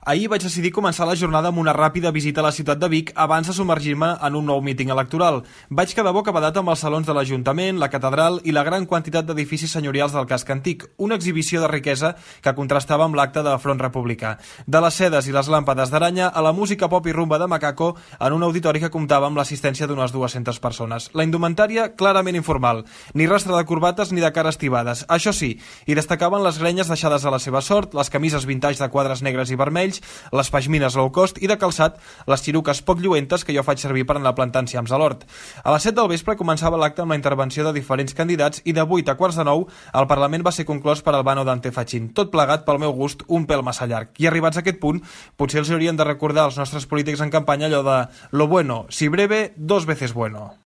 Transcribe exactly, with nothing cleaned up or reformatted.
Ahir vaig decidir començar la jornada amb una ràpida visita a la ciutat de Vic abans de submergir-me en un nou míting electoral. Vaig quedar bocabadat amb els salons de l'Ajuntament, la catedral i la gran quantitat d'edificis senyorials del casc antic, una exhibició de riquesa que contrastava amb l'acte de Front Republicà. De les sedes i les làmpades d'aranya a la música pop i rumba de Macaco en un auditori que comptava amb l'assistència d'unes dues-centes persones. La indumentària clarament informal, ni rastre de corbates ni de cares tibades. Això sí, hi destacaven les grenyes deixades a la seva sort, les camises vintage de quadres negres i vermells, les pashmines low cost i de calçat les xiruques poc lluentes que jo faig servir per anar plantant enciams a l'hort. A les set del vespre començava l'acte amb la intervenció de diferents candidats i de vuit a quarts de nou el Parlament va ser conclòs per Albano Dante Fachin, tot plegat pel meu gust un pèl massa llarg. I arribats a aquest punt, potser els haurien de recordar als nostres polítics en campanya allò de lo bueno, si breve, dos veces bueno.